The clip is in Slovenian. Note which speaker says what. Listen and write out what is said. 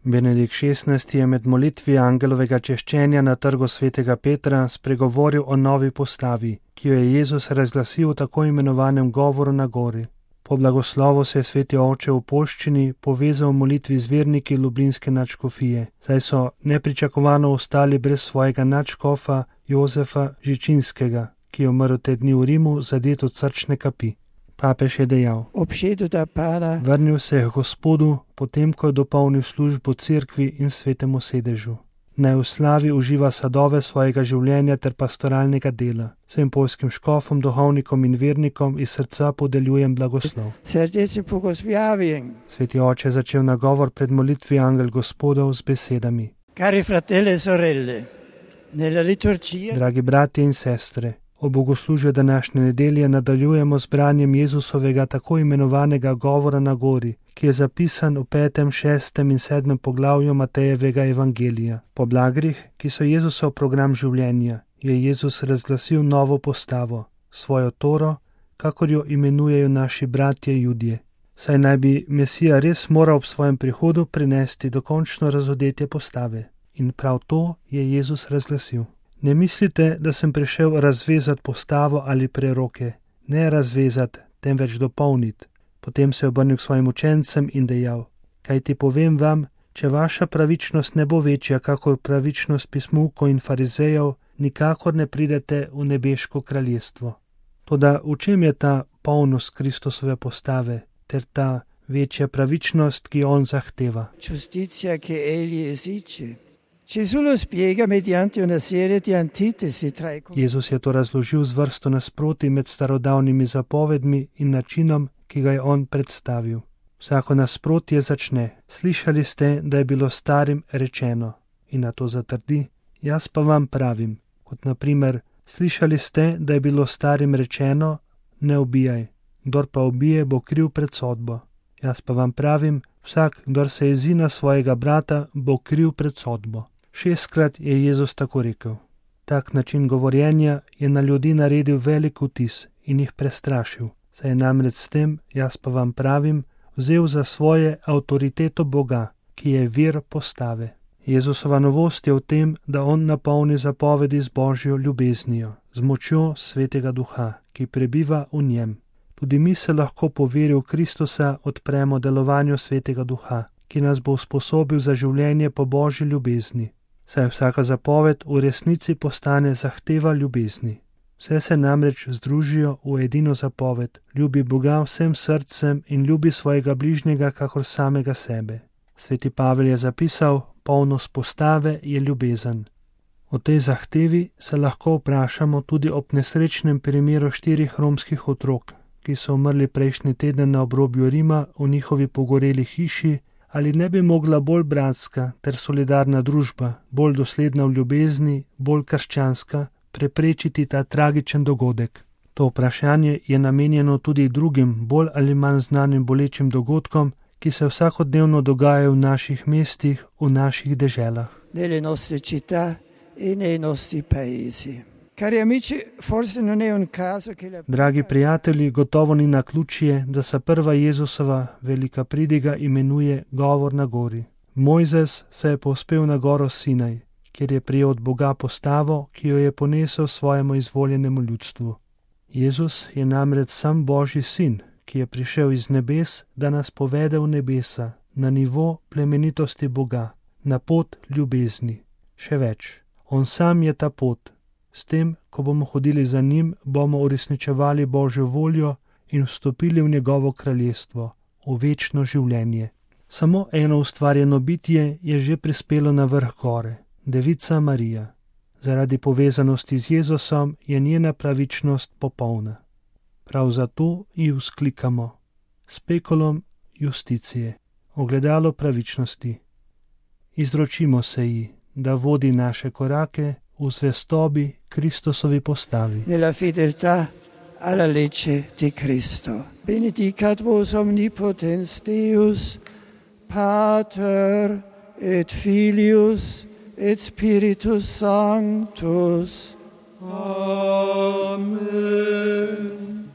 Speaker 1: Benedikt XVI. Je med molitvi angelovega češčenja na trgu svetega Petra spregovoril o novi postavi, ki jo je Jezus razglasil v tako imenovanem govoru na gori. Po blagoslovu se je sveti oče v poščini povezal v molitvi z verniki Lublinske nadškofije, saj so nepričakovano ostali brez svojega nadškofa Jozefa Žičinskega, ki je umrl te dni v Rimu zadet od srčne kapi. Papež je dejal: vrnil se je k Gospodu, potem ko je dopolnil službo cerkvi in svetemu sedežu. Naj v slavi uživa sadove svojega življenja ter pastoralnega dela. Vsem poljskim škofom, duhovnikom in vernikom iz srca podeljujem blagoslov. Sveti oče je začel nagovor pred molitvi Angel Gospodov z besedami:
Speaker 2: Cari fratelli e sorelle, nella liturgia,
Speaker 1: dragi bratje in sestre, ob bogoslužju današnje nedelje nadaljujemo z branjem Jezusovega tako imenovanega govora na gori, ki je zapisan v 5., 6. in 7. poglavju Matejevega evangelija. Po blagrih, ki so Jezusov program življenja, je Jezus razglasil novo postavo, svojo Toro, kakor jo imenujejo naši bratje Judje. Saj naj bi Mesija res moral ob svojem prihodu prinesti dokončno razodetje postave. In prav to je Jezus razglasil. Ne mislite, da sem prišel razvezati postavo ali preroke, ne razvezati, temveč dopolniti. Potem se je obrnil k svojim učencem in dejal: kajti povem vam, če vaša pravičnost ne bo večja, kakor pravičnost pismukov in farizejev, nikakor ne pridete v nebeško kraljestvo. Toda v čem je ta polnost Kristusove postave, ter ta večja pravičnost, ki jo on zahteva?
Speaker 2: Giustizia che egli esige. Gesù lo spiega mediante una serie di antitesi tra i...
Speaker 1: Jezus je to razložil z vrsto nasprotij med starodavnimi zapovedmi in načinom, ki ga je on predstavil. Vsako nasprotje začne: slišali ste, da je bilo starim rečeno, in na to zatrdi: jaz pa vam pravim. Kot naprimer: slišali ste, da je bilo starim rečeno, ne ubijaj, kdor pa ubije, bo kriv pred sodbo. Jaz pa vam pravim, vsak, kdor se jezi na svojega brata, bo kriv pred sodbo. 6-krat je Jezus tako rekel. Tak način govorjenja je na ljudi naredil velik vtis in jih prestrašil, saj je namreč s tem, jaz pa vam pravim, vzel za svoje avtoriteto Boga, ki je vir postave. Jezusova novost je v tem, da on napolni zapovedi z Božjo ljubeznijo, z močjo Svetega Duha, ki prebiva v njem. Tudi mi se lahko po veri v Kristusa odpremo delovanju Svetega Duha, ki nas bo usposobil za življenje po Božji ljubezni. Saj vsaka zapoved v resnici postane zahteva ljubezni. Vse se namreč združijo v edino zapoved: ljubi Boga vsem srcem in ljubi svojega bližnjega kakor samega sebe. Sveti Pavel je zapisal: polnost postave je ljubezen. O tej zahtevi se lahko vprašamo tudi ob nesrečnem primeru 4 romskih otrok, ki so umrli prejšnji teden na obrobju Rima v njihovi pogoreli hiši. Ali ne bi mogla bolj bratska ter solidarna družba, bolj dosledna v ljubezni, bolj krščanska, preprečiti ta tragičen dogodek? To vprašanje je namenjeno tudi drugim, bolj ali manj znanim bolečim dogodkom, ki se vsakodnevno dogajajo v naših mestih, v naših deželah.
Speaker 2: Nelle nostre città e nei nostri paesi. Cari amici, forse non è un caso che la...
Speaker 1: Dragi prijatelji, gotovo ni naključje, da se prva Jezusova velika pridiga imenuje govor na gori. Mojzes se je povzpel na goro Sinaj, kjer je prijel od Boga postavo, ki jo je ponesel svojemu izvoljenemu ljudstvu. Jezus je namreč sam Božji sin, ki je prišel iz nebes, da nas povede v nebesa, na nivo plemenitosti Boga, na pot ljubezni. Še več, on sam je ta pot. S tem, ko bomo hodili za njim, bomo uresničevali Božjo voljo in vstopili v njegovo kraljestvo, v večno življenje. Samo eno ustvarjeno bitje je že prispelo na vrh gore, Devica Marija. Zaradi povezanosti z Jezusom je njena pravičnost popolna. Prav zato ji vzklikamo: spekulum justicije, ogledalo pravičnosti. Izročimo se ji, da vodi naše korake v zvestobi Kristusovi postavi.
Speaker 2: Nella fedeltà alla legge di Cristo. Benedicat vos omnipotens Deus, Pater et Filius et Spiritus Sanctus. Amen.